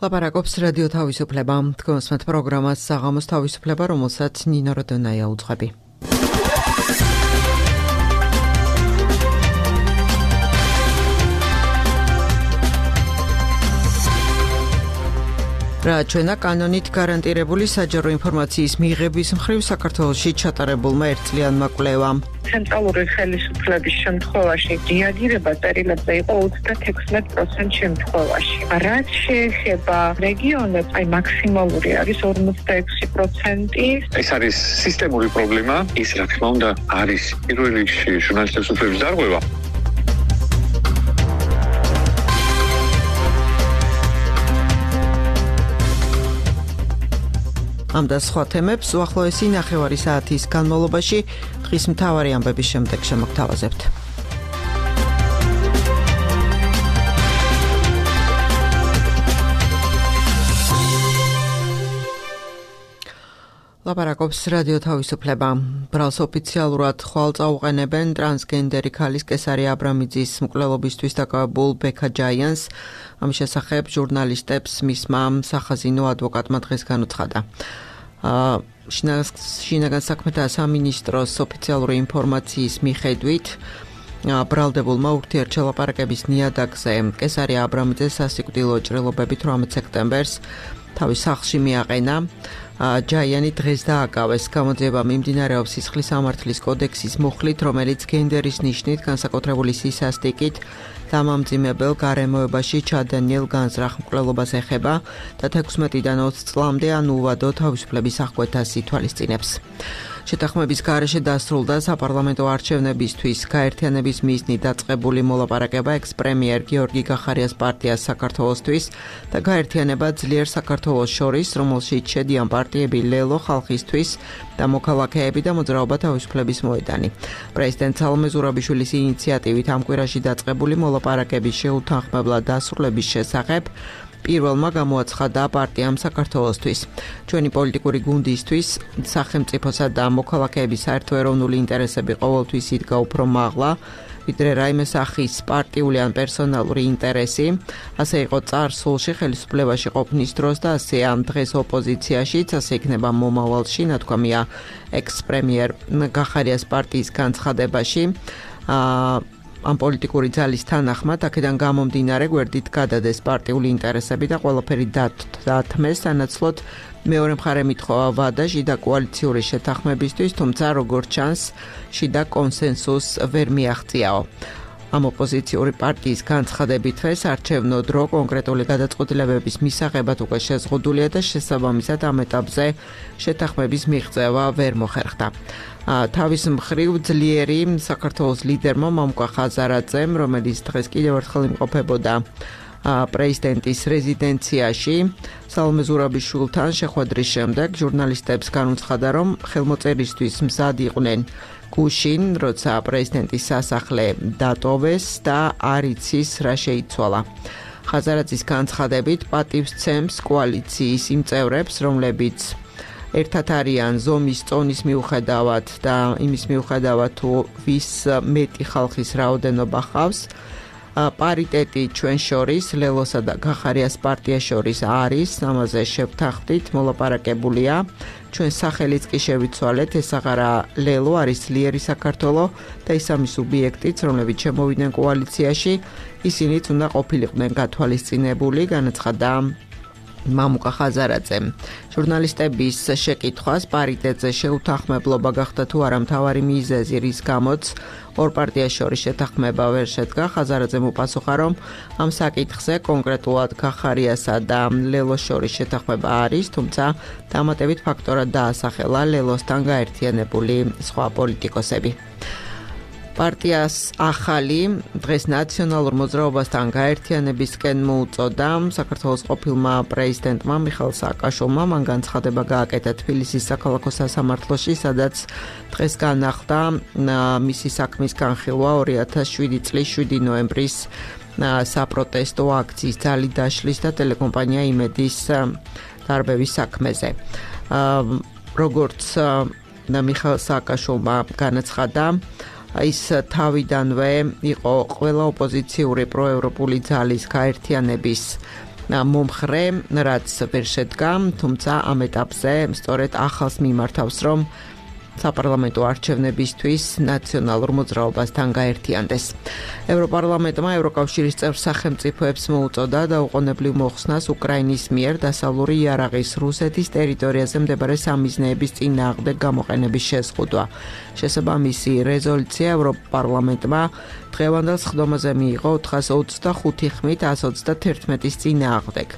ლაპარაკობს რადიო თავისუფლება. თქვენსმეთ პროგრამას საღამოს თავისუფლება, რომელსაც ნინო როდონაია უძღვები. რა ჩვენა კანონით გარანტირებული საჯარო ინფორმაციის მიღების მხრივ საქართველოში ჩატარებულმა ერთწლიანმა კვლევამ. ცენტრალური ხელისუფლების შემთხვევაში რეაგირება წერილებზე იყო 36% შემთხვევაში. რაც შეეხება რეგიონებს, მაქსიმალური არის 46%. ეს არის სისტემური პრობლემა. ის რა თქმა უნდა არის პირველ რიგში ჟურნალისტების უფლების დარღვევა. ამ და სხვა თემებს უახლოესი ნახევარი საათის განმავლობაში დღის მთავარი ამბების შემდეგ შემოგთავაზებთ. ლაპარაკობს რადიო თავისუფლება. ბრალს ოფიციალურად ხვალ წაუყენებენ ტრანსგენდერი ქალის კესარი აბრამიძის მკვლელობისთვის დაკავებულ ბექა ჯაიანს. ამის შესახებ ჟურნალისტებს მისმა სახაზინო ადვოკატმა დღეს განუცხადა. შინაგან საქმეთა სამინისტროს ოფიციალური ინფორმაციის მიხედვით ბრალდებულმა ურთიერთშელაპარაკების ნიადაგზე კესარი აბრამიძეს სასიკვდილო ჭრილობებით 18 სექტემბერს თავის სახლში მიაყენა. ჯაიანი დღეს დააკავეს. გამოძიება მიმდინარეობს სისხლის სამართლის კოდექსის მუხლით, რომელიც გენდერის ნიშნით განსაკუთრებული სისასტიკით დამამძიმებელ გარემოებაში ჩადენილ განზრახ მკვლელობას ეხება და 16-დან 20 წლამდე ან უვადო თავისუფლების აღკვეთას ითვალისწინებს. შეთანხმების გარეშე დასრულდა საპარლამენტო არჩევნებისთვის გაერთიანების მიზნით დაწყებული მოლაპარაკება ექს-პრემიერ გიორგი გახარიას პარტიას საქართველოსთვის და გაერთიანება ძლიერ საქართველოს შორის, რომელშიც შედიან პარტიები ლელო ხალხისთვის და მოქალაქეები და მოძრაობა თავისუფლების მოედანი. პრეზიდენტ სალომე ზურაბიშვილის ინიციატივით ამ კვირაში დაწყებული მოლაპარაკების შეუთანხმებლად დასრულების შესახებ პირველმა გამოაცხადა პარტიამ საქართველოსთვის. ჩვენი პოლიტიკური გუნდისთვის სახელმწიფოსა და მოქალაქეების საერთო ეროვნული ინტერესები ყოველთვის იდგა უფრო მაღლა, ვიდრე რაიმე სახის პარტიული ან პერსონალური ინტერესი. ასე იყო წარსულში ხელისუფლებაში ყოფნის დროს და ასე ამ დღეს ოპოზიციაშიც, ასე იქნება მომავალში, ნათქვამია ექს-პრემიერ გახარიას პარტიის განცხადებაში. ამ პოლიტიკური ძალის თანახმად აქედან გამომდინარე გვერდით გადადეს პარტიული ინტერესები და ყველაფერი დათმეს, სანაცვლოდ მეორე მხარე მითხოვა ვადა შიდა კოალიციური შეთანხმებისთვის, თუმცა როგორც ჩანს, შიდა კონსენსუსს ვერ მიაღწიაო. ამ ოპოზიციური პარტიის განცხადებითვე საარჩევნო დრო კონკრეტული გადაწყვეტილებების მისაღებად უკვე შეზღუდულია და შესაბამისად ამ ეტაპზე შეთანხმების მიღწევა ვერ მოხერხდა. თავის მხრივ ძლიერი საქართველოს ლიდერმა მამუკა ხაზარაძემ, რომელიც დღეს კიდევ ერთხელ იმყოფებოდა პრეზიდენტის რეზიდენციაში, სალომე ზურაბიშვილთან შეხვედრის შემდეგ ჟურნალისტებს განუცხადა, რომ ხელმოწერისთვის მზად იყვნენ გუშინ, როცა პრეზიდენტის სასახლე დატოვეს და არ იცის რა შეიცვალა. ხაზარაძის განცხადებით პატივს ცემს კოალიციის იმ წევრებს, რომლებიც ერთად არიან ზომის წონის მიუხედავად და იმის მიუხედავად თუ ვის მეტი ხალხის რაოდენობა ხავს. პარიტეტი ჩვენ შორის, ლელოსა და გახარიას პარტიას შორის არის, ამაზე შევთანხმდით, მოლაპარაკებულია. ჩვენ სახელიც კი შევიცვალეთ, ეს აღარა ლელო არის ძლიერი საქართველო და ის ამის სუბიექტიც, რომლებიც შემოვიდნენ კოალიციაში, ისინიც უნდა ყოფილიყვნენ გათვალისწინებული, განაცხადა მამუკა ხაზარაძემ. ჟურნალისტების შეკითხვას პარიტეტზე შეუთანხმებლობა გახდა თუ არა მთავარი მიზეზი, რის გამოც ორ პარტიას შორის შეთანხმება ვერ შედგა, ხაზარაძემ უპასუხა, რომ ამ საკითხზე კონკრეტულად გახარიასა და ლელოს შორის შეთანხმება არის, თუმცა დამატებით ფაქტორად დაასახელა ლელოსთან გაერთიანებული სხვა პოლიტიკოსები. პარტიას ახალი დღეს ნაციონალურ მოძრაობასთან გაერთიანებისკენ მოუწოდა საქართველოს ყოფილმა პრეზიდენტმა მიხეილ სააკაშვილმა. მან განცხადება გააკეთა თბილისის საქალაქო სასამართლოში, სადაც დღეს განახლდა მისი საქმის განხილვა 2007 წლის 7 ნოემბრის საპროტესტო აქციის ძალით დაშლის და ტელეკომპანია იმედის დარბევის საქმეზე. როგორც მიხეილ სააკაშვილმა განაცხადა, ის თავიდანვე იყო ყველა ოპოზიციური პროევროპული ძალის გაერთიანების მომხრე, რაც ვერ შედგა, თუმცა ამ ეტაპზე სწორედ ახალს მიმართავს, რომ საპარლამენტო არჩევნებისთვის ნაციონალურ მოძრაობასთან გაერთიანდეს. ევროპარლამენტმა ევროკავშირის წევრ სახელმწიფოებს მოუწოდა დაუყოვნებლივ მოხსნას უკრაინის მიერ დასავლური იარაღის რუსეთის ტერიტორიაზე მდებარე სამიზნეების წინააღმდეგ გამოყენების შეზღუდვა. შესაბამისი რეზოლუცია ევროპარლამენტმა დღევანდელ სხდომაზე მიიღო 425 ხმით 131-ის წინააღმდეგ.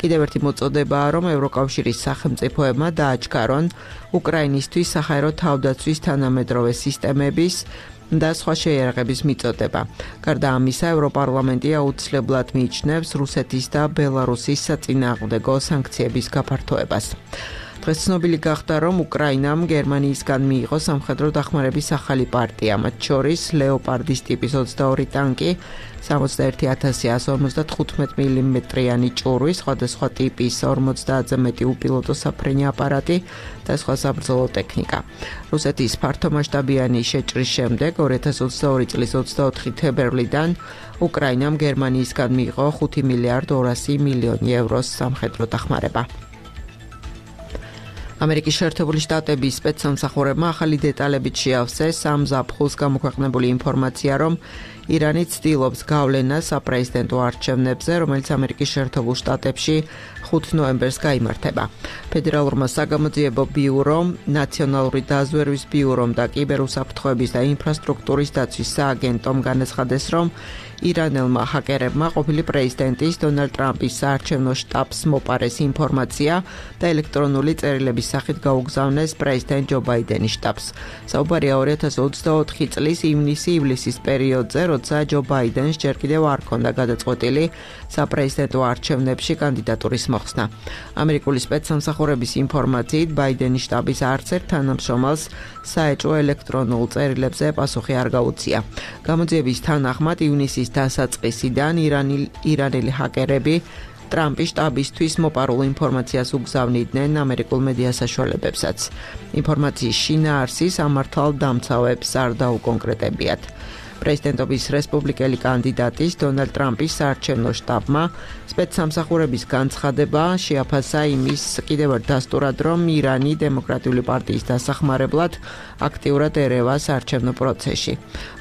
კიდევ ერთი მოწოდებაა, რომ ევროკავშირის სახელმწიფოებმა დააჩქარონ უკრაინისთვის საჰაერო თავდაცვის თანამედროვე სისტემების და სხვა შეიარაღების მიწოდება. გარდა ამისა, ევროპარლამენტი აუცილებლად მიიჩნევს რუსეთის და ბელარუსის საწინააღმდეგო სანქციების გაფართოებას. დღეს ცნობილი გახდა, რომ უკრაინამ გერმანიისგან მიიღო სამხედრო დახმარების ახალი პარტია, მათ შორის ლეოპარდის ტიპის 22 ტანკი, 61155 მმ-იანი ჭურვი, სხვადასხვა ტიპის 50-ზე მეტი უპილოტო საფრენი აპარატი და სხვა საბრძოლო ტექნიკა. რუსეთის ფართომასშტაბიანი შეჭრის შემდეგ 2022 წლის 24 თებერვლიდან უკრაინამ გერმანიისგან მიიღო 5 მილიარდ 200 მილიონი ევროს სამხედრო დახმარება. ამერიკის შეერთებული შტატების სპეცსამსახურებმა ახალი დეტალებით შეავსეს ამ ზაფხულს გამოქვეყნებული ინფორმაცია, რომ ირანი ცდილობს გავლენას საპრეზიდენტო არჩევნებზე, რომელიც ამერიკის შეერთებულ შტატებში 5 ნოემბერს გაიმართება. ფედერალურმა საგამოძიებო ბიურომ, ნაციონალური დაზვერვის ბიურომ და კიბერუსაფრთხოების და ინფრასტრუქტურის დაცვის სააგენტომ განაცხადეს, რომ ირანელმა ჰაკერებმა ყოფილი პრეზიდენტის დონალდ ტრამპის საარჩევნო შტაბს მოპარეს ინფორმაცია და ელექტრონული წერილების სახით გაუგზავნეს პრეზიდენტ ჯო ბაიდენის შტაბს. საუბარია 2024 წლის ივნისი-ივლისის პერიოდზე, როცა ჯო ბაიდენს ჯერ კიდევ არ ჰქონდა გადაწყვეტილი საპრეზიდენტო არჩევნებში კანდიდატურის მოხსნა. ამერიკული სპეცსამსახურების ინფორმაციით, ბაიდენის შტაბის არც ერთ თანამშრომელს საეჭვო ელექტრონულ წერილებზე პასუხი არ გაუწია. გამოძიების თანახმად ივნისის დასაწყისიდან ირანელი ჰაკერები ტრამპის შტაბისთვის მოპარულ ინფორმაციას უგზავნიდნენ ამერიკულ მედია საშუალებებსაც. ინფორმაციის შინაარსი სამართალდამცავებს არ დაუკონკრეტებიათ. პრეზიდენტობის რესპუბლიკელი კანდიდატის დონალდ ტრამპის საარჩევნო შტაბმა სპეცსამსახურების განცხადება შეაფასა იმის კიდევ ერთ დასტურად, რომ ირანი დემოკრატიული პარტიის დასახმარებლად აქტიურად ერევა საარჩევნო პროცესში.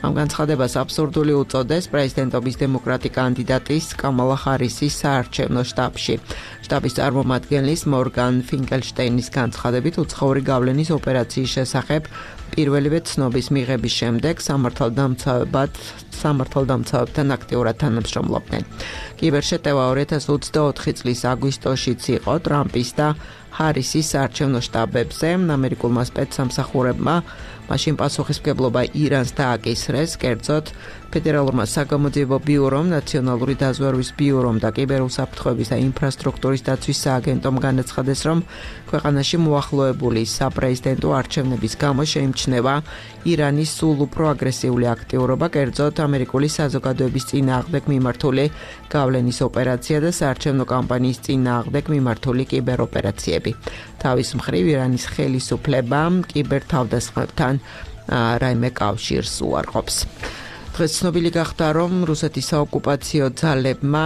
ამ განცხადებას აბსურდული უწოდეს პრეზიდენტობის დემოკრატი კანდიდატის კამალა ჰარისის საარჩევნო შტაბში. შტაბის წარმომადგენლის მორგან ფინკელშტეინის განცხადებით უცხოური გავლენის ოპერაციის შესახებ პირველივე ცნობის მიღების შემდეგ სამართალდამცავებთან აქტიურად თანამშრომლობდნენ. კიბერშეტევა 2024 წლის აგვისტოშიც იყო ტრამპის და ჰარისის საარჩევნო შტაბებზე. ამერიკულმა სპეცსამსახურებმა მაშინ პასუხისმგებლობა ირანს დააკისრეს, კერძოდ ფედერალურმა საგამოძიებო ბიურომ, ნაციონალური დაზვერვის ბიურომ და კიბერუსაფრთხოების და ინფრასტრუქტურის დაცვის სააგენტომ განაცხადეს, რომ ქვეყანაში მოახლოებული საპრეზიდენტო არჩევნების გამო შეიმჩნევა ირანის სულ უფრო აგრესიული აქტიურობა, კერძოდ ამერიკული საზოგადოების წინააღმდეგ მიმართული გავლენის ოპერაცია და საარჩევნო კამპანიის წინააღმდეგ მიმართული კიბეროპერაციები. თავის მხრივ ირანის ხელისუფლებამ კიბერთავდასხმებთან რაიმე კავშირს უარყოფს. დღეს ცნობილი გახდა, რომ რუსეთის საოკუპაციო ძალებმა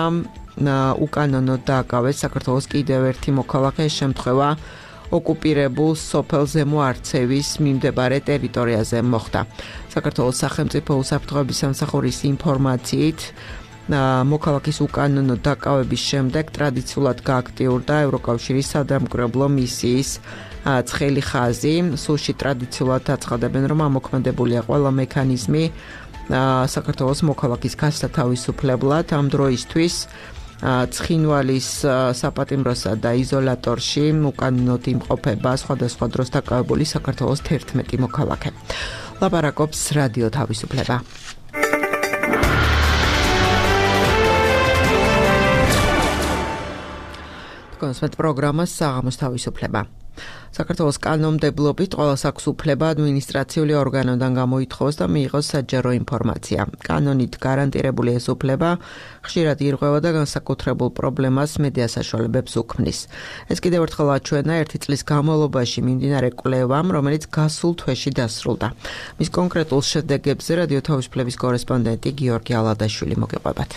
უკანონოდ დააკავეს საქართველოს კიდევ ერთი მოქალაქე, შემთხვევა ოკუპირებულ სოფელ ზემო არცევის მიმდებარე ტერიტორიაზე მოხდა. საქართველოს სახელმწიფო უსაფრთხოების სამსახურის ინფორმაციით, მოქალაქის უკანონო დაკავების შემდეგ ტრადიციულად გააქტიურდა ევროკავშირის სადამკვირვებლო მისიის ცხელი ხაზი. სულში ტრადიციულად აცხადებენ, რომ ამოქმედებულია ყველა მექანიზმი საქართველოს მოქალაქის გასათავისუფლებლად. ამ დროისთვის ცხინვალის საპატიმროსა და იზოლატორში უკანონოდ იმყოფება სხვადასხვა დროს დაკავებული საქართველოს 11 მოქალაქე. ლაპარაკობს რადიო თავისუფლება. კონსპეტ პროგრამა საღამოს თავისუფლება. საქართველოს კანონმდებლობით ყველას აქვს უფლება ადმინისტრაციული ორგანოდან გამოითხოვოს და მიიღოს საჯარო ინფორმაცია. კანონით გარანტირებული ეს უფლება ხშირად ირღვევა და განსაკუთრებულ პრობლემას მედია საშუალებებს უქმნის. ეს კიდევ ერთხელ აჩვენა 1 წლის განმავლობაში მიმდინარე კვლევამ, რომელიც გასულ თვეში დასრულდა. მის კონკრეტულ შედეგებზე რადიო თავისუფლების კორესპონდენტი გიორგი ალადაშვილი მოგეყვებათ.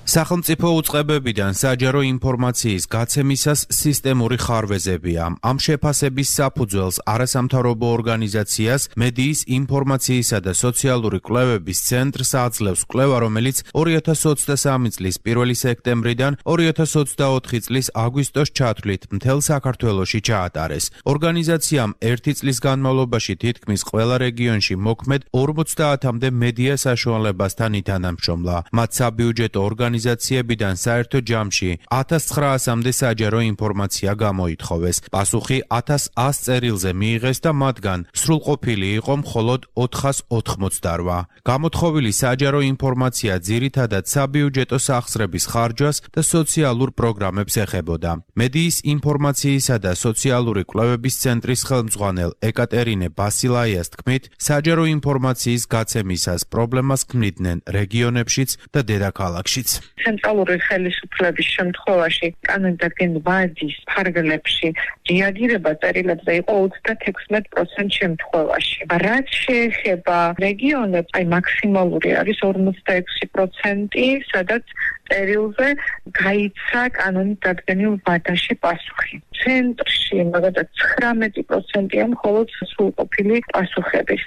სახელმწიფო უწყებებიდან საჯარო ინფორმაციის გაცემისას სისტემური ხარვეზებია. ამ შეფასების საფუძველს არასამთავრობო ორგანიზაციას მედიის ინფორმაციისა და სოციალური კვლევების ცენტრს აძლევს კვლევა, რომელიც 2023 წლის 1 სექტემბრიდან 2024 წლის აგვისტოს ჩათვლით მთელ საქართველოში ჩაატარეს. ორგანიზაციამ 1 წლის განმავლობაში თითქმის ყველა რეგიონში მოქმედ 50-მდე მედია საშუალებასთან ითანამშრომლა. მათ საბიუჯეტო ორგანიზაციებიდან საერთო ჯამში 1900-მდე საჯარო ინფორმაცია გამოითხოვეს. პასუხი 1100 წერილზე მიიღეს და მათგან სრულყოფილი იყო მხოლოდ 488. გამოთხოვილი საჯარო ინფორმაცია ძირითადად საბიუჯეტო სახსრების ხარჯვას და სოციალურ პროგრამებს ეხებოდა. მედიის ინფორმაციისა და სოციალური კვლევების ცენტრის ხელმძღვანელ ეკატერინე ბასილაიას თქმით, საჯარო ინფორმაციის გაცემისას პრობლემას ქმნიდნენ რეგიონებშიც და დედაქალაქშიც. ცენტრალური ხელისუფლების შემთხვევაში კანონდაგენ ვადის ფარგლებში რეაგირება წერილებზე იყო 36% შემთხვევაში. რაც შეეხება რეგიონებს, აი მაქსიმალური არის 46%, სადაც წერილზე გაიცა კანონით დადგენილ ვადაში პასუხი. ცენტრში მაგალითად 19%-ია მხოლოდ სრულყოფილი პასუხების.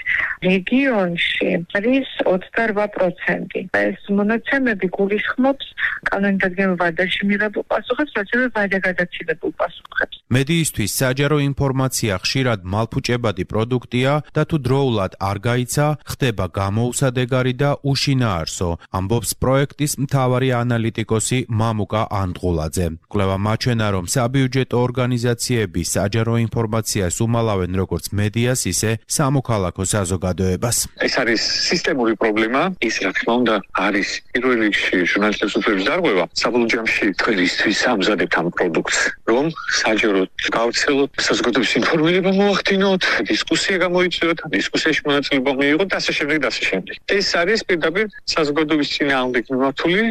რეგიონში არის 28%. ეს მონაცემები გულისხმობს კანონით დადგენილ ვადაში მიღებულ პასუხებს, ასევე ვადაგადაცილებულ პასუხებს. მედიისთვის საჯარო ინფორმაცია ხშირად მალფუჭებადი პროდუქტია და თუ დროულად არ გაიცა, ხდება გამოუსადეგარი და უშინაარსო, ამბობს პროექტის მთავარი ანალიტიკოსი მამუკა ანდღულაძე. კვლევა მაჩვენა, რომ საბიუჯეტო ორგანიზაციები საჯარო ინფორმაციას უმალავენ როგორც მედიას, ისე სამოქალაქო საზოგადოებას. ეს არის სისტემური პრობლემა, ის რა თქმა უნდა არის პირველ რიგში ჟურნალისტების უფლებების დარღვევა. საბოლოო ჯამში თქვენისთვის ამზადებთ ამ პროდუქტს, რომ საჯაროდ გავცელოთ, საზოგადოების ინფორმირება მოახდინოთ, დისკუსია გამოიწვიოთ, დისკუსიაში მონაწილეობა მიიღოთ და ასე შემდეგ და ასე შემდეგ. ეს არის პირდაპირ საზოგადოების წინააღმდეგ მიმართული,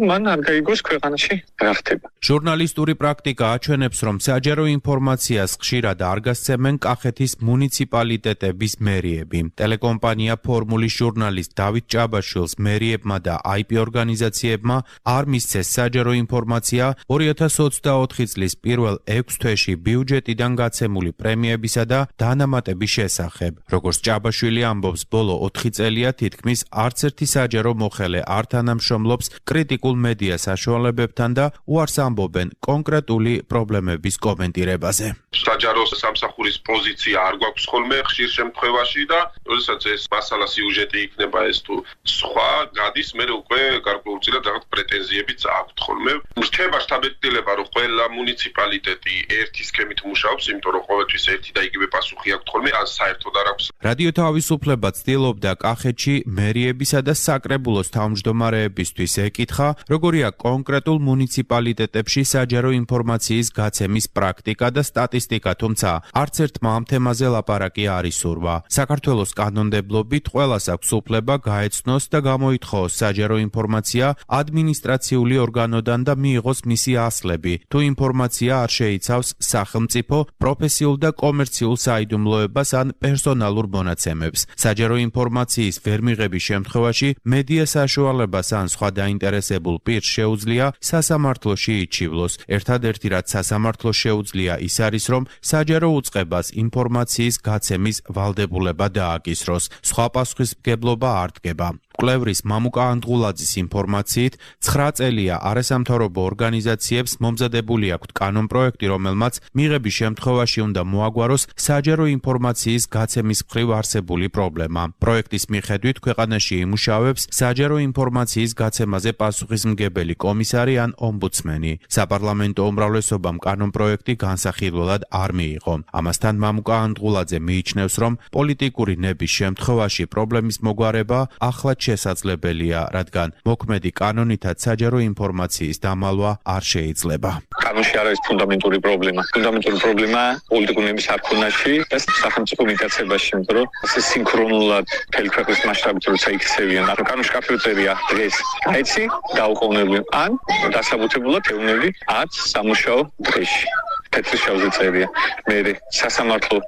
მან არ გაიგოს ქვეყანაში რა ხდება. ჟურნალისტური პრაქტიკა აჩვენებს, რომ საჯარო ინფორმაციას ხშირად არ გასცემენ კახეთის მუნიციპალიტეტების მერიები. ტელეკომპანია ფორმულის ჟურნალისტ დავით ჭაბაშვილს მერიებმა და IP ორგანიზაციებმა არ მისცეს საჯარო ინფორმაცია 2024 წლის პირველ 6 თვეში ბიუჯეტიდან გაცემული პრემიებისა და დანამატების შესახებ. როგორც ჭაბაშვილი ამბობს, ბოლო 4 წელია თითქმის არც ერთი საჯარო მოხელე არ თანამშრომლობს კრიტიკულ მედია საშუალებებთან და უარს ამბობენ კონკრეტული პრობლემების კომენტირებაზე. საჯარო სამსახურის პოზიცია არ გვაქვს ხოლმე ხშირ შემთხვევაში და როდესაც ეს მასალა სიუჟეტი იქნება ეს თუ სხვა გადის, მე უკვე გარკვეულწილად რაღაც პრეტენზიებიც აქვთ ხოლმე. რჩება შთაბეჭდილება, რომ ყველა მუნიციპალიტეტი ერთი სქემით მუშაობს, იმიტომ რომ ყოველთვის ერთი და იგივე პასუხი აქვთ ხოლმე, ან საერთოდ არ აქვს. რადიო თავისუფლება ცდილობდა კახეთში მერიებისა და საკრებულოს თავმჯდომარეებისთვის ეკითხა, როგორია კონკრეტულ მუნიციპალიტეტებში საჯარო ინფორმაციის გაცემის პრაქტიკა და სტატისტიკა, თუმცა არც ერთმა ამ თემაზე ლაპარაკი არ ისურვა. საქართველოს კანონმდებლობით ყველას აქვს უფლება გაეცნოს და გამოითხოვოს საჯარო ინფორმაცია ადმინისტრაციული ორგანოდან და მიიღოს მისი ასლები, თუ ინფორმაცია არ შეიცავს სახელმწიფო, პროფესიულ და კომერციულ საიდუმლოებას ან პერსონალურ მონაცემებს. საჯარო ინფორმაციის ვერ მიღების შემთხვევაში მედია საშუალებას ან სხვა დაინტერესებულ პირს შეუძლია სასამართლოში იჩივლოს. ერთადერთი რაც სასამართლოს შეუძლია ის არის, რომ საჯარო უწყებას ინფორმაციის გაცემის ვალდებულება დააკისროს. სხვა პასუხისმგებლობა არ დგება. კვლევრის მამუკა ანდღულაძის ინფორმაციით 9 წელია არასამთავრობო ორგანიზაციებს მომზადებული აქვთ კანონპროექტი, რომელმაც მიღების შემთხვევაში უნდა მოაგვაროს საჯარო ინფორმაციის გაცემის მხრივ არსებული პრობლემა. პროექტის მიხედვით ქვეყანაში იმუშავებს საჯარო ინფორმაციის გაცემაზე პასუხისმგებელი კომისარი ან ომბუდსმენი. საპარლამენტო უმრავლესობამ კანონპროექტი განსახილველად არ მიიღო. ამასთან მამუკა ანდღულაძე მიიჩნევს, რომ პოლიტიკური ნების შემთხვევაში პრობლემის მოგვარება ახლად შესაძლებელია, რადგან მოქმედი კანონითაც საჯარო ინფორმაციის დამალვა არ შეიძლება. კანონში არის ფუნდამენტური პრობლემა. ფუნდამენტური პრობლემა პოლიტიკური ნების არქონაში და სახელმწიფო მიტაცებაში, იმიტომ რომ ეს სინქრონულად მთელი ქვეყნის მასშტაბით როცა იქცევიან. კანონში კაფეტერია დღეს გაიცი დაუყოვნებლივ ან დასაბუთებულად ეუბნები 10 სამუშაო დღეში. თეთრი შავზე წერია. მე სასამართლო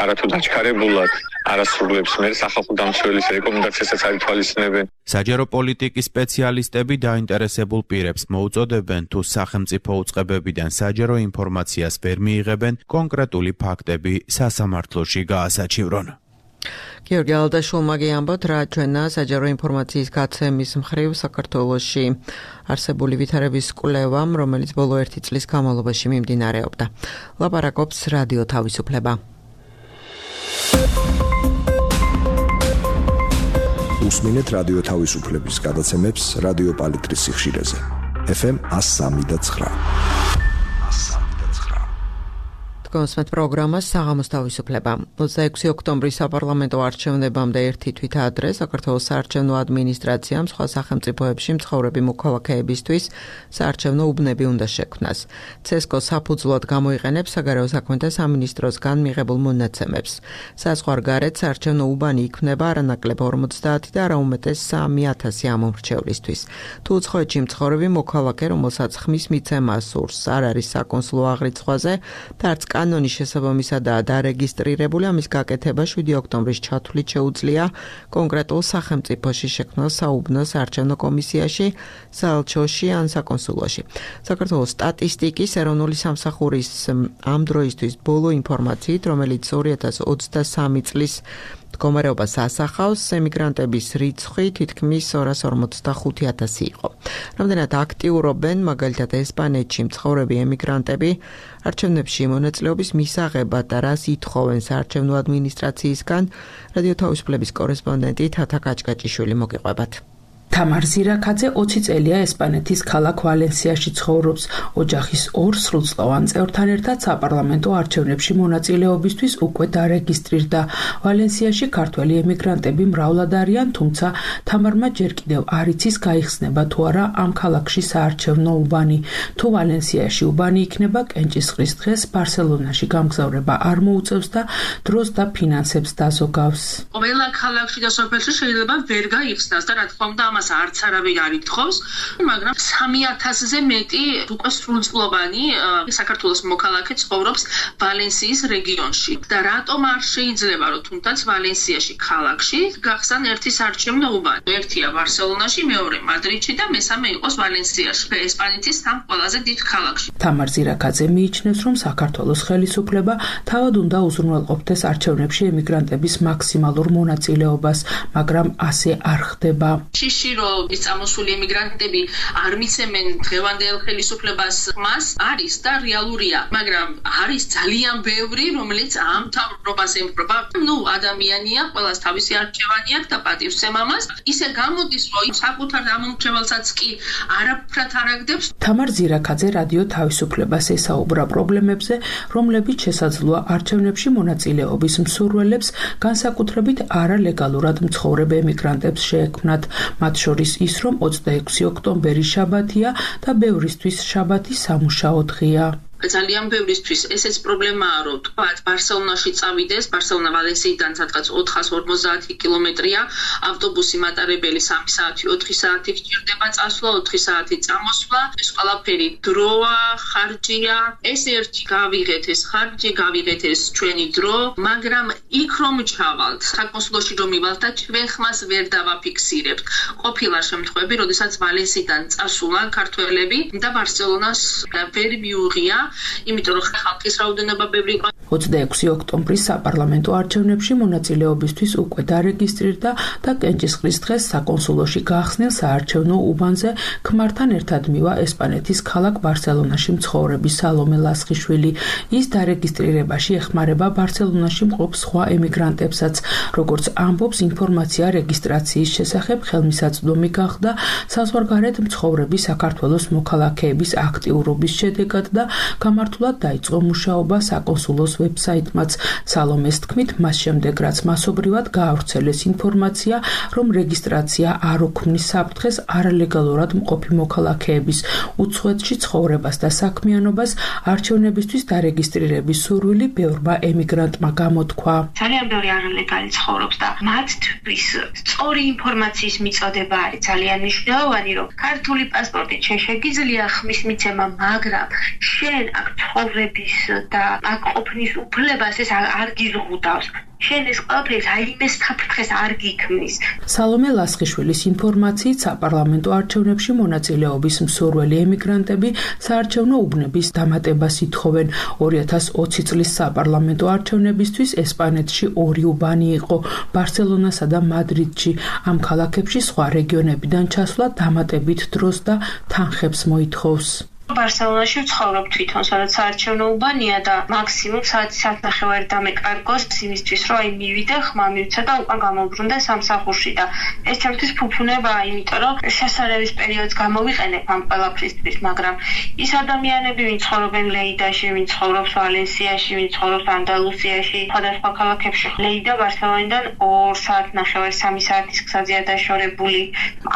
არათუ დაჩქარებულად არასრულებს მე სახალხო დამცველის რეკომენდაციასაც არ ითვალისწინებენ. საჯარო პოლიტიკის სპეციალისტები დაინტერესებულ პირებს მოუწოდებენ თუ სახელმწიფო უწყებებიდან საჯარო ინფორმაციას ვერ მიიღებენ, კონკრეტული ფაქტები სასამართლოში გაასაჩივრონ. გიორგი ალდაშვილმა გიამბოთ, რა ჩვენა საჯარო ინფორმაციის გაცემის მხრივ საქართველოში არსებული ვითარების კვლევამ, რომელიც ბოლო 1 წლის განმავლობაში მიმდინარეობდა. ლაპარაკობს რადიო თავისუფლება. უსმინეთ რადიო თავისუფლების გადაცემებს რადიო პალიტრის სიხშირეზე. FM 103.9. კონსმეთ პროგრამას საღამოს თავისუფლება. 26 ოქტომბრის საპარლამენტო არჩევნებამდე ერთი თვით ადრე საქართველოს საარჩევნო ადმინისტრაციამ სხვა სახელმწიფოებში მცხოვრები მოქალაქეებისთვის საარჩევნო უბნები უნდა შექმნას. CESCO საფუძვლად გამოიყენებს საგარეო საქმეთა სამინისტროსგან მიღებულ მონაცემებს. საზღვარგარეთ საარჩევნო უბანი იქმნება არანაკლებ 50 და არა უმეტეს 3,000 ამომრჩევლისთვის. თუ უცხოეთში მცხოვრები მოქალაქე, რომელსაც ხმის მიცემა სურს, არ არის საკონსულო აღრიცხვაზე და არც კანონის შესაბამისადაა დარეგისტრირებული, ამის გაკეთება 7 ოქტომბრის ჩათვლით შეუძლია კონკრეტულ სახელმწიფოში შექმნილ საუბნო საარჩევნო კომისიაში, საელჩოში ან საკონსულოში. საქართველოს სტატისტიკის ეროვნული სამსახურის ამ დროისთვის ბოლო ინფორმაციით, რომელიც 2023 წლის მდგომარეობას ასახავს, ემიგრანტების რიცხვი თითქმის 245,000 იყო. რამდენად აქტიურობენ მაგალითად ესპანეთში მცხოვრები ემიგრანტები არჩევნებში მონაწილეობის მისაღებად და რას ითხოვენ საარჩევნო ადმინისტრაციისგან, რადიო თავისუფლების კორესპონდენტი თათა კაჭკაჭიშვილი მოგიყვებათ. თამარ ზირაქაძე 20 წელია ესპანეთის ქალაქ ვალენსიაში ცხოვრობს. ოჯახის 2 სრულწლოვან წევრთან ერთად საპარლამენტო არჩევნებში მონაწილეობისთვის უკვე დარეგისტრირდა. ვალენსიაში ქართველი ემიგრანტები მრავლად არიან, თუმცა თამარმა ჯერ კიდევ არ იცის გაიხსნება თუ არა ამ ქალაქში საარჩევნო უბანი. თუ ვალენსიაში უბანი იქნება, კენჭისყრის დღეს ბარსელონაში გამგზავრება არ მოუწევს და დროს და ფინანსებს დაზოგავს. ყველა ქალაქში და სოფელში შეიძლება ვერ გაიხსნას და რა თქმა უნდა არც არავინ არ ითხოვს, მაგრამ 3,000-ზე მეტი უკვე სრულწლოვანი საქართველოს მოქალაქე ცხოვრობს ვალენსიის რეგიონში. და რატომ არ შეიძლება, რომ თუნდაც ვალენსიაში ქალაქში გახსან ერთი საარჩევნო უბანი? ერთია ბარსელონაში, მეორე მადრიდში და მესამე იყოს ვალენსიაში, ესპანეთის 3 ყველაზე დიდ ქალაქში. თამარ ზირაქაძე მიიჩნევს, რომ საქართველოს ხელისუფლება თავად უნდა უზრუნველყოფდეს არჩევნებში ემიგრანტების მაქსიმალურ მონაწილეობას, მაგრამ ასე არ ხდება. რომ ის წამოსული ემიგრანტები არ მიცემენ დღევანდელ ხელისუფლებას ხმას არის და რეალურია, მაგრამ არის ძალიან ბევრი, რომელიც ამ თავრობას ემხრობა. ადამიანია, ყველას თავისი არჩევანი აქვს და პატივს ემამას. ისე გამოდის, რომ საკუთარ ამომრჩეველსაც კი არაფრად არ აგდებს. თამარ ზირაქაძე რადიო თავისუფლებას ესაუბრა პრობლემებზე, რომლებიც შესაძლოა არჩევნებში მონაწილეობის მსურველებს, განსაკუთრებით არალეგალურად მცხოვრებ ემიგრანტებს შეექმნათ. მათ შორის ის, რომ 26 ოქტომბერი შაბათია და ბევრისთვის შაბათი სამუშაო დღეა. ძალიან ბევრისთვის ესეც პრობლემაა, რომ თქვათ ბარსელონაში წავიდეს, ბარსელონა ვალენსიიდან სადღაც 450 კილომეტრია, ავტობუსი მატარებელი 3 საათი, 4 საათი გჭირდება წასვლა, 4 საათი წამოსვლა, ეს ყველაფერი დროა, ხარჯია, ეს ერთი გავიღეთ ეს ხარჯი, გავიღეთ ეს ჩვენი დრო, მაგრამ იქ რომ ჩავალთ, საკონსულოში რომ მივალთ და ჩვენ ხმას ვერ დავაფიქსირებთ. ყოფილა შემთხვევები, როდესაც ვალენსიიდან წასულან ქართველები და ბარსელონას ვერ მიუღია, იმიტომ რომ ხალხის რაოდენობა ბევრი იყო. 26 ოქტომბრის საპარლამენტო არჩევნებში მონაწილეობისთვის უკვე დარეგისტრირდა და კენჭისყრის დღეს საკონსულოში გაახსნილ საარჩევნო უბანზე ქმართან ერთად მივა ესპანეთის ქალაქ ბარსელონაში მცხოვრები სალომე ლასხიშვილი. ის დარეგისტრირებაში ეხმარება ბარსელონაში მყოფ სხვა ემიგრანტებსაც. როგორც ამბობს, ინფორმაცია რეგისტრაციის შესახებ ხელმისაწვდომი გახდა საზღვარგარეთ მცხოვრები საქართველოს მოქალაქეების აქტიურობის შედეგად და გამართულად დაიწყო მუშაობა საკონსულოს ვებსაიტმაც. სალომეს თქმით, მას შემდეგ რაც მასობრივად გაავრცელეს ინფორმაცია, რომ რეგისტრაცია არ უქმნის საფრთხეს არალეგალურად მყოფი მოქალაქეების უცხოეთში ცხოვრებას და საქმიანობას, არჩევნებისთვის დარეგისტრირების სურვილი ბევრმა ემიგრანტმა გამოთქვა. ძალიან ბევრი არალეგალი ცხოვრობს და მათთვის სწორი ინფორმაციის მიწოდება არის ძალიან მნიშვნელოვანი, რომ ქართული პასპორტით შეგიძლია ხმის მიცემა, მაგრამ შენ აქ ცხოვრების და აქ ყოფნის უფლებას ეს არ გიზღუდავს. შენ ეს ყველაფერი რაიმე საფრთხეს არ გიქმნის. სალომე ლასხიშვილის ინფორმაციით საპარლამენტო არჩევნებში მონაწილეობის მსურველი ემიგრანტები საარჩევნო უბნების დამატებას ითხოვენ. 2020 წლის საპარლამენტო არჩევნებისთვის ესპანეთში 2 უბანი იყო, ბარსელონასა და მადრიდში. ამ ქალაქებში სხვა რეგიონებიდან ჩასვლა დამატებით დროს და თანხებს მოითხოვს. ბარსელონაში ვცხოვრობ თვითონ, სადაც საარჩევნო უბანია და მაქსიმუმ საათნახევარი დამეკარგოს იმისთვის, რომ აი მივიდე, ხმა მივცა და უკან გამოვბრუნდე სამსახურში და ეს ჩემთვის ფუფუნებაა, იმიტომ რომ შესაძლების პერიოდს გამოვიყენებ ამ ყველაფრისთვის, მაგრამ ის ადამიანები, ვინც ცხოვრობენ ლეიდაში, ვინც ცხოვრობს ვალენსიაში, ვინც ცხოვრობს ანდალუსიაში, სხვადასხვა ქალაქებში, ლეიდა ბარსელონიდან 2 საათნახევარი 3 საათის გზაზეა დაშორებული.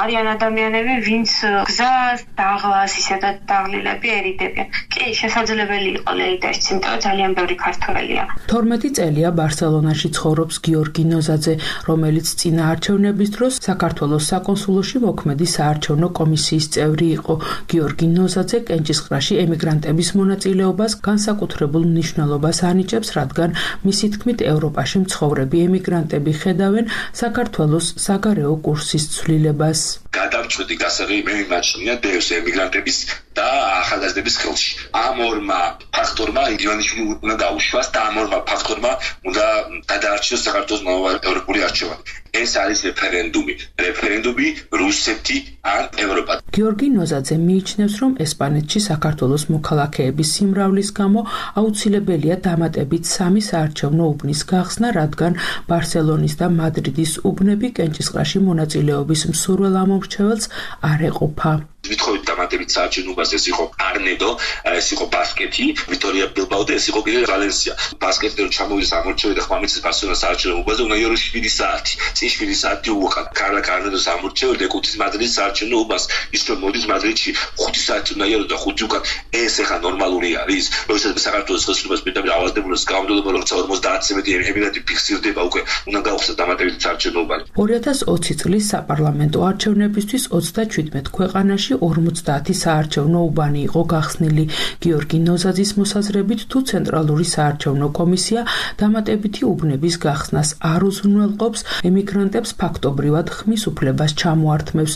არიან ადამიანები, ვინც გზას, დაღლას, ისედაც დაღლილ ერიდებიან. კი, შესაძლებელი იყო ლეიდაშიც, იმიტომ რომ ძალიან ბევრი ქართველია. 12 წელია ბარსელონაში ცხოვრობს გიორგი ნოზაძე, რომელიც წინა არჩევნების დროს საქართველოს საკონსულოში მოქმედი საარჩევნო კომისიის წევრი იყო. გიორგი ნოზაძე კენჭისყრაში ემიგრანტების მონაწილეობას განსაკუთრებულ მნიშვნელობას ანიჭებს, რადგან მისი თქმით ევროპაში მცხოვრები ემიგრანტები ხედავენ საქართველოს საგარეო კურსის ცვლილებას. გადამწყვეტი გასაღები მე მიმაჩნია დევს ემიგრანტების და ახალგაზრდების ხელში. ამ ორმა ფაქტორმა ივანიშვილი უნდა დაუშვას და ამ ორმა ფაქტორმა უნდა გადაარჩიოს საქართველოს ევროპული არჩევანი. ეს არის რეფერენდუმი რუსეთი ან ევროპა. გიორგი ნოზაძე მიიჩნევს, რომ ესპანეთში საქართველოს მოქალაქეების სიმრავლის გამო აუცილებელია დამატებით 3 საარჩევნო უბნის გახსნა, რადგან ბარსელონის და მადრიდის უბნები კენჭისყრაში მონაწილეობის მსურველ ამომრჩეველს არ ეყოფა. Vitrovit დამატებით საარჩევნობას ეს იყო არნედო, ეს იყო ბასკეთი, ვიტორია ბილბაო და ეს იყო კიდე ვალენსია. ბასკეთი რომ ჩამოვიდეს ამორჩევი და ხმამიცის ბარსელონას საარჩევნობაზე უნდა იარო 7 საათი. წინ 7 საათი უყან. კარლა კარნედოს ამორჩევი და ეკუთვნის მადრიდის საარჩევნობას. ის რომ მოდის მადრიდში 5 საათი უნდა იარო და 5 უკან. ეს ახლა ნორმალური არის. როდესაც საქართველოს ხელისუფლებას პირდაპირ ავადდებულებს გამომდევნობა რომ 50% ემიგრანტი ფიქსირდება უკვე უნდა გავხსნათ დამატებით საარჩევნობა. 2020 წლის საპარლამენტო არჩევნებისთვის 37 ქვეყანაში 50 საარჩევნო უბანი იყო გახსნილი. გიორგი ნოზაძის მოსაზრებით, თუ ცენტრალური საარჩევნო კომისია დამატებითი უბნების გახსნას არ უზრუნველყოფს, ემიგრანტებს ფაქტობრივად ხმის უფლებას ჩამოართმევს.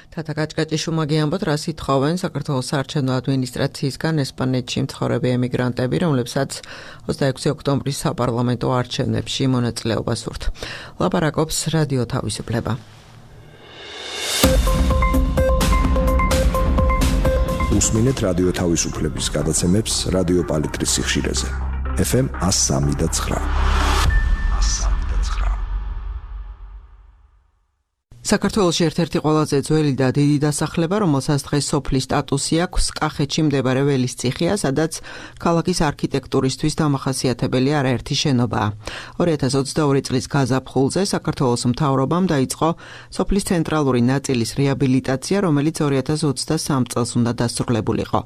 თათა გაჭგაჭიშუმაგი ამბობთ, რას ითხოვენ საქართველოს საარჩევნო ადმინისტრაციისგან ესპანეთში მცხოვრები ემიგრანტები, რომლებსაც 26 ოქტომბრის საპარლამენტო არჩევნებში მონაწილეობას სურთ. ლაპარაკობს რადიო თავისუფლება. უსმინეთ რადიო თავისუფლების გადაცემებს რადიო პალიტრის სიხშირეზე. FM 103.9. საქართველოში ერთ-ერთი ყველაზე ძველი და დიდი დასახლება, რომელსაც დღეს სოფლის სტატუსი აქვს, კახეთში მდებარე ველისციხეა, სადაც ქალაქის არქიტექტურისთვის დამახასიათებელი არაერთი შენობაა. 2022 წლის გაზაფხულზე საქართველოს მთავრობამ დაიწყო სოფლის ცენტრალური ნაწილის რეაბილიტაცია, რომელიც 2023 წელს უნდა დასრულებულიყო.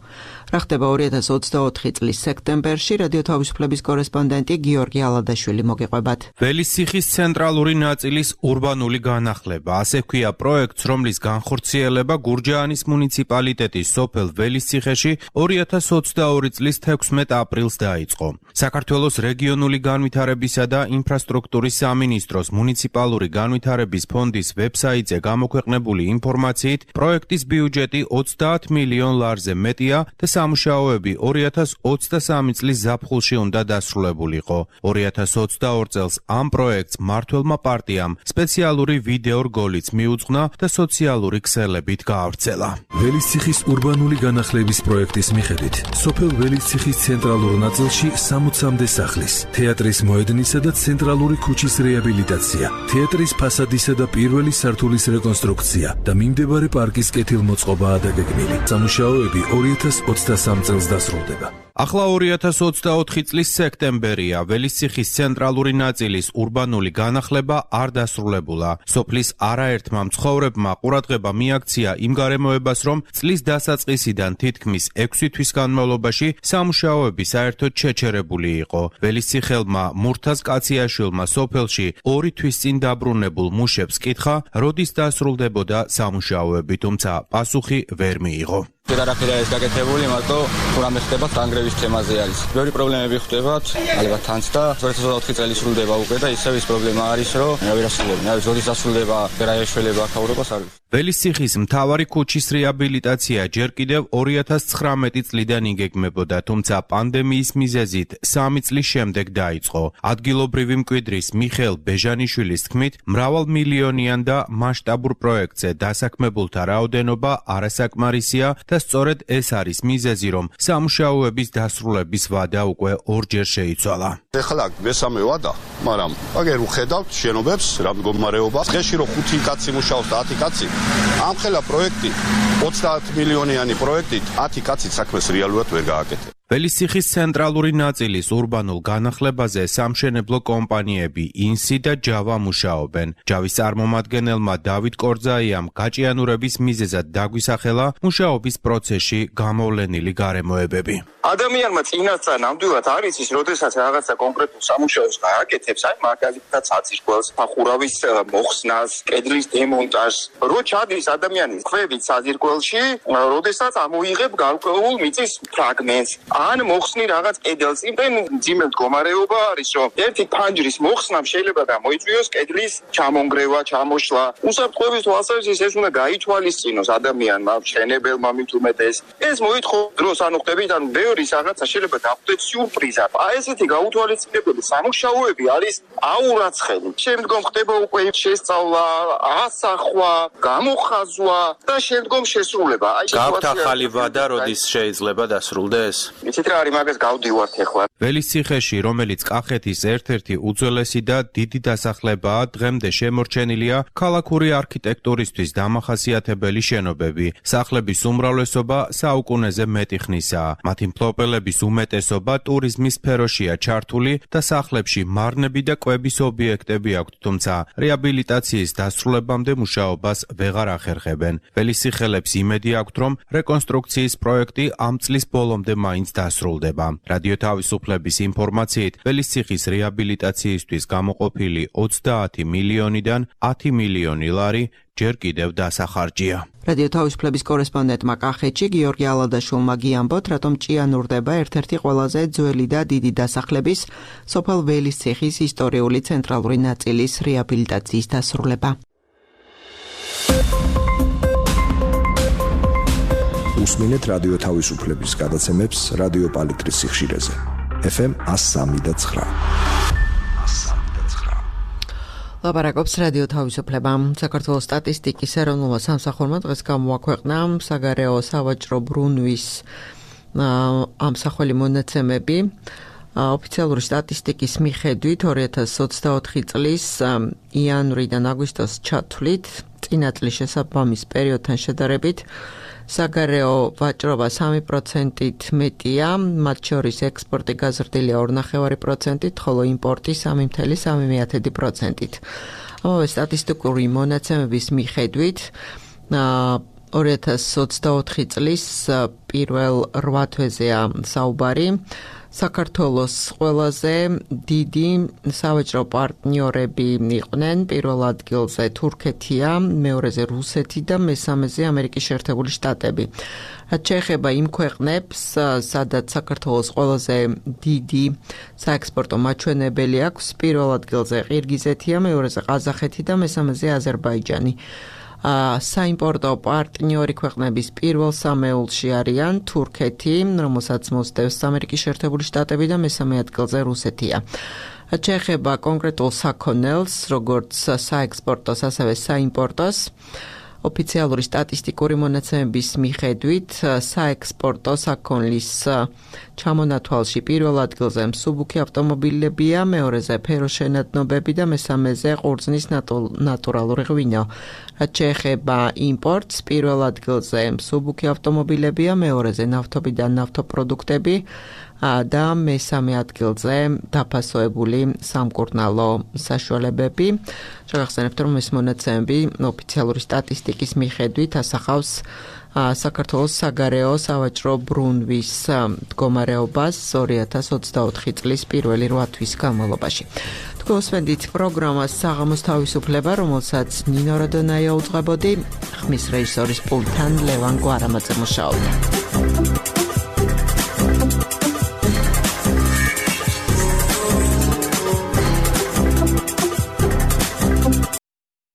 რა ხდება 2024 წლის სექტემბერში, რადიო თავისუფლების კორესპონდენტი გიორგი ალადაშვილი მოგიყვებათ. ველისციხის ცენტრალური ნაწილის ურბანული განახლება. ასე ქვია პროექტს, რომლის განხორციელება გურჯაანის მუნიციპალიტეტის სოფელ ველისციხეში 2022 წლის 16 აპრილს დაიწყო. საქართველოს რეგიონული განვითარებისა და ინფრასტრუქტურის სამინისტროს მუნიციპალური განვითარების ფონდის ვებსაიტზე გამოქვეყნებული ინფორმაციით, პროექტის ბიუჯეტი 30 მილიონ ლარზე მეტია და სამუშაოები 2023 წლის ზაფხულში უნდა დასრულებულიყო. 2022 წელს ამ პროექტს მმართველმა პარტიამ სპეციალური ვიდეო რგოლიც მიუძღვნა და სოციალური ქსელებით გაავრცელა. ველისციხის ურბანული განახლების პროექტის მიხედვით, სოფელ ველისციხის ცენტრალურ ნაწილში 60-მდე სახლის, თეატრის მოედნისა და ცენტრალური ქუჩის რეაბილიტაცია, თეატრის ფასადისა და პირველი სართულის რეკონსტრუქცია და მიმდებარე პარკის კეთილმოწყობაა დაგეგმილი. სამუშაოები 2023 წელს დასრულდება. ახლა 2024 წლის სექტემბერია, ველისციხის ცენტრალური ნაწილის ურბანული განახლება არ დასრულებულა. სოფლის არაერთმა მცხოვრებმა ყურადღება მიაქცია იმ გარემოებას, რომ წლის დასაწყისიდან თითქმის 6 თვის განმავლობაში სამუშაოები საერთოდ შეჩერებული იყო. ველისციხელმა მურთაზ კაციაშვილმა სოფელში 2 თვის წინ დაბრუნებულ მუშებს კითხა, როდის დასრულდებოდა სამუშაოები, თუმცა პასუხი ვერ მიიღო. არაფერია ეს გაკეთებული, მარტო თუ რამე ხდება თანგრევის თემაზე არის. ბევრი პრობლემები ხდებათ, ალბათ თანც და 2024 წელი სრულდება უკვე და ისევ ის პრობლემა არის, რომ ვერ ასრულებენ. აი, როდის ასრულდება რა ეშველება აქაურობას არის. ველისციხის მთავარი ქუჩის რეაბილიტაცია ჯერ კიდევ 2019 წლიდან იგეგმებოდა, თუმცა პანდემიის მიზეზით 3 წლის შემდეგ დაიწყო. ადგილობრივი მკვიდრის მიხეილ ბეჟანიშვილის თქმით, მრავალმილიონიან და მასშტაბურ პროექტზე დასაქმებულთა რაოდენობა არასაკმარისია და სწორედ ეს არის მიზეზი, რომ სამუშაოების დასრულების ვადა უკვე ორჯერ შეიცვალა. ეხლა მესამე ვადა, მაგრამ აგერ უხედავთ შენობებს რა მდგომარეობა. დღეში რომ 5 კაცი მუშაობს და 10 კაცი, ამხელა პროექტი 30 მილიონიანი პროექტით 10 კაცი საქმეს რეალურად ვერ გააკეთებს. ველისციხის ცენტრალური ნაწილის ურბანულ განახლებაზე სამშენებლო კომპანიები ინსი და ჯავა მუშაობენ. ჯავის წარმომადგენელმა დავით კორძაიამ გაჭიანურების მიზეზად დაგვისახელა მუშაობის პროცესში გამოვლენილი გარემოებები. ადამიანმა წინასწარ ნამდვილად არის ის, როდესაც რაღაცა კონკრეტულ სამუშაოს გააკეთებს, აი მაგალითად საძირკველს, სახურავის მოხსნას, კედლის დემონტაჟს, რო ჩადის ადამიანის ქვევით საძირკველში, როდესაც ამოიღებ გარკვეულ მიწის ფრაგმენტს, ან მოხსნი რაღაც კედელს, იმდენ ძიმე მდგომარეობა არის, რომ ერთი ფანჯრის მოხსნამ შეიძლება გამოიწვიოს კედლის ჩამონგრევა, ჩამოშლა. უსაფრთხოების თვალსაზრისით ეს უნდა გაითვალისწინოს ადამიანმა, მშენებელმა მით უმეტეს. ეს მოითხოვს დროს, ანუ ხდებით, ანუ ბევრი რაღაცა შეიძლება დახვდეთ სიურპრიზად. აი ესეთი გაუთვალისწინებელი სამუშაოები არის აურაცხელი. შემდგომ ხდება უკვე შესწავლა, ასახვა, გამოხაზვა და შემდგომ შესრულება. აი გაქვთ ახალი ვადა, როდის შეიძლება დასრულდეს? იცით რა არის მაგას გავდივართ ახლა. ველისციხეში, რომელიც კახეთის ერთ-ერთი უძველესი და დიდი დასახლებაა, დღემდე შემორჩენილია ქალაქური არქიტექტურისთვის დამახასიათებელი შენობები. სახლების უმრავლესობა საუკუნეზე მეტი ხნისაა. მათი მფლობელების უმეტესობა ტურიზმის სფეროშია ჩართული და სახლებში მარნები და კვების ობიექტები აქვთ, თუმცა რეაბილიტაციის დასრულებამდე მუშაობას ვეღარ ახერხებენ. ველისციხელებს იმედი აქვთ, რომ რეკონსტრუქციის პროექტი ამ წლის ბოლომდე მაინც დასრულდება. რადიო თავისუფლების ინფორმაციით, ველისციხის რეაბილიტაციისთვის გამოყოფილი 30 მილიონიდან 10 მილიონი ლარი ჯერ კიდევ დასახარჯია. რადიო თავისუფლების კორესპონდენტმა კახეთში გიორგი ალადაშვილმა გიამბოთ, რატომ ჭიანურდება ერთ-ერთი ყველაზე ძველი და დიდი დასახლების სოფელ ველისციხის ისტორიული ცენტრალური ნაწილის რეაბილიტაციის დასრულება. უსმინეთ რადიო თავისუფლების გადაცემებს რადიო პალიტრის სიხშირეზე. FM 103.9. ლაპარაკობს რადიო თავისუფლება. საქართველოს სტატისტიკის ეროვნულმა სამსახურმა დღეს გამოაქვეყნა საგარეო სავაჭრო ბრუნვის ამსახველი მონაცემები. ოფიციალური სტატისტიკის მიხედვით 2024 წლის იანვრიდან აგვისტოს ჩათვლით წინა წლის შესაბამის პერიოდთან შედარებით საგარეო ვაჭრობა 3%-ით მეტია, მათ შორის ექსპორტი გაზრდილია 2.5%-ით, ხოლო იმპორტი 3.3%-ით. ამავე სტატისტიკური მონაცემების მიხედვით 2024 წლის პირველ 8 თვეზეა საუბარი. საქართველოს ყველაზე დიდი სავაჭრო პარტნიორები იყვნენ პირველ ადგილზე თურქეთია, მეორეზე რუსეთი და მესამეზე ამერიკის შეერთებული შტატები. რაც შეეხება იმ ქვეყნებს, სადაც საქართველოს ყველაზე დიდი საექსპორტო მაჩვენებელი აქვს, პირველ ადგილზე ყირგიზეთია, მეორეზე ყაზახეთი და მესამეზე აზერბაიჯანი. საიმპორტო პარტნიორი ქვეყნების პირველ სამეულში არიან თურქეთი, რომელსაც მოსდევს ამერიკის შეერთებული შტატები და მესამე ადგილზე რუსეთია. რაც შეეხება კონკრეტულ საქონელს, როგორც საექსპორტოს, ასევე საიმპორტოს, ოფიციალური სტატისტიკური მონაცემების მიხედვით საექსპორტო საქონლის ჩამონათვალში პირველ ადგილზე მსუბუქი ავტომობილებია, მეორეზე ფეროშენადნობები და მესამეზე ყურძნის ნატურალური ღვინო. რაც შეეხება იმპორტს, პირველ ადგილზე მსუბუქი ავტომობილებია, მეორეზე ნავთობი და ნავთობპროდუქტები, და მესამე ადგილზე დაფასოებული სამკურნალო საშუალებები. შეგახსენებთ, რომ ეს მონაცემები ოფიციალური სტატისტიკის მიხედვით ასახავს საქართველოს საგარეო სავაჭრო ბრუნვის მდგომარეობას 2024 წლის პირველი 8 თვის განმავლობაში. თქვენ უსმენთ პროგრამას საღამოს თავისუფლება, რომელსაც ნინო რადონაია უძღვებოდი, ხმის რეჟისორის პულტთან ლევან გვარამაძე მუშაობდა.